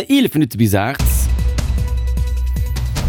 11 Minutte bis 8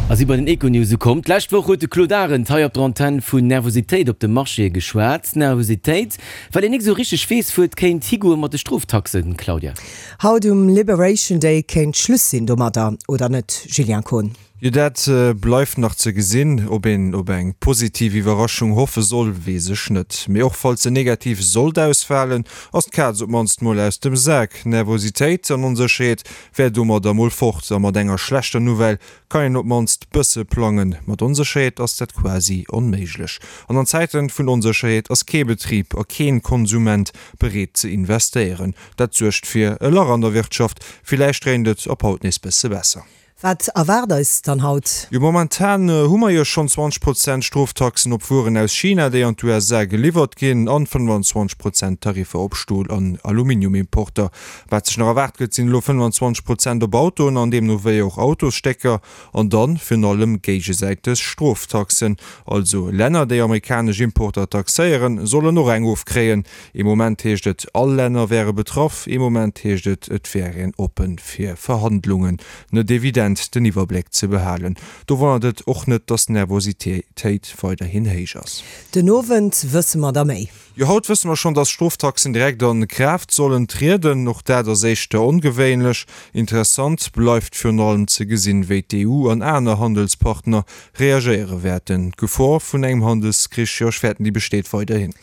a si bei den Econews ukomm. D'lescht Woch huet de Claude Arend hei op der Antenn vun Nervositéit op de Marchéë geschwat. Nervositéit, well een nik esou richteg weess, wou et kéint higoe mat de Stroftaxen, Claudia. Haut um Liberation Day kéint Schluss sinn domadder, oder net, Julien Kohn? Jo, dat bleift nach ze gesinn. Ob een op eng positiv Iwwerraschung hoffe soll, weess ech net. Mee och falls se negativ sollt ausfalen, ass d'Kaz op d'mannst mol aus dem Sak. Nervositéit an Onsécherheet wär domadder mol fort a mat enger schlechter Nouvelle kann een op d'mannst bësse plangen. Mat Onsécherheet ass dat quasi onméiglech. An an Zäiten vun Onsécherheet ass kee Betrib a keen Konsument bereet ze investéieren. Dat suergt fir e Lach an der Wirtschaft. Villäicht dréint et op haut nees bësse besser. Wat erwaart eis dann haut? Jo, momentan hu mer jo schonn 20 Prozent Stroftaxen op Wueren aus China, déi an d'USA geliwwert ginn, an 25 Prozent Tariffer op Stol an Aluminiumimporter. Wat sech nach erwaart gëtt, sinn elo 25 Prozent op Autoen an deemno wéi och Autosstécker an dann virun allem géigesäiteg Stroftaxen. Also Länner, déi amerikanesch Importer taxéieren, sollen och eng ofkréien. Ee Moment heescht et, all Länner wäre betraff, ee Moment heescht et, et wär een oppe fir Verhandlungen. Net evident den Iwwerbléck ze behalen. Do wonnert et och net, datt d'Nervositéit weiderhin héich ass. Den Owend wësse mer da méi. Jo, haut wësse mer schonn, datt Stroftaxen direkt a Kraaft sollen trieden. Och dat ass éischter ongewéinlech. Interessant bleift virun allem ze gesinn, wéi d'EU an aner Handelspartner reagéiere wäerten. D'Gefor vun engem Handelskrich, jo ech fäerten, déi besteet weiderhin.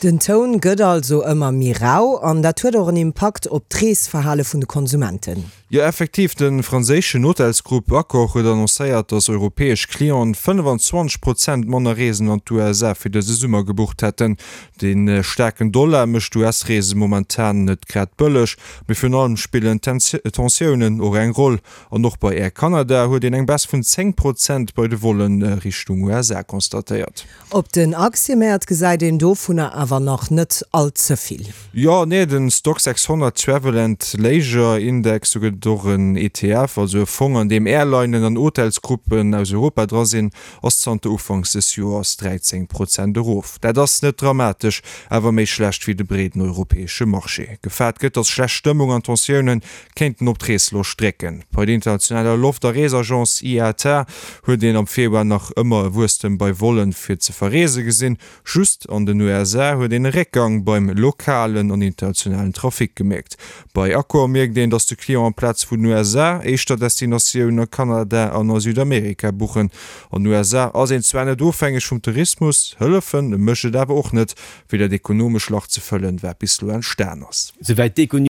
Den Toun gëtt also ëmmer méi rau an dat huet och en Impakt op d'Reesverhale vun de Konsumenten. Jo, effektiv, de franséischen Hotelsgrupp Accor huet annoncéiert, datt europäesch Clienten 25 Prozent manner Reesen an d'USA fir dëse Summer gebucht hätten. De staarken Dollar mécht d'US-Reese momentan net grad bëlleg, mee virun allem spillen d'Tensiounen och eng Roll. An och bei Air Canada huet een eng Baisse vun 10 Prozent bei de Volle Richtung USA constatéiert. Op den Aktiemäert gesäit een dovunner awer nach net all ze vill. Jo, nee, den Stoxx 600 Travel and Leisure Index, do gëtt et och en ETF, also e Fong an deem Airlinen an Hotelsgruppen aus Europa dra sinn, ass zanter Ufanks des Joers 13 Prozent erof. Dat ass net dramatesch, awer méi schlecht wéi de breeden europäesche Marché. Gefaart gëtt, datt schlecht Stëmmung an Tensiounen kéinten op d'Reesloscht drécken. Bei der internationaler Loft a Reesagence IATA huet een am Februar nach ëmmer e Wuesstem bei Vollen fir ze verreese gesinn. Just an den USA huet een e Réckgang beim lokalen an internationalen Trafic gemierkt. Bei Accor mierkt een, datt de Client amplaz vun den USA éischter Destinatiounen a Kanada an a Südamerika buchen. An den USA ass een zwar net ofhängeg vum Tourismus, hëllefen mécht et awer och net, fir dat ekonomesch Lach ze fëllen, wat bis elo entstan ass. Souwäit d'Econews.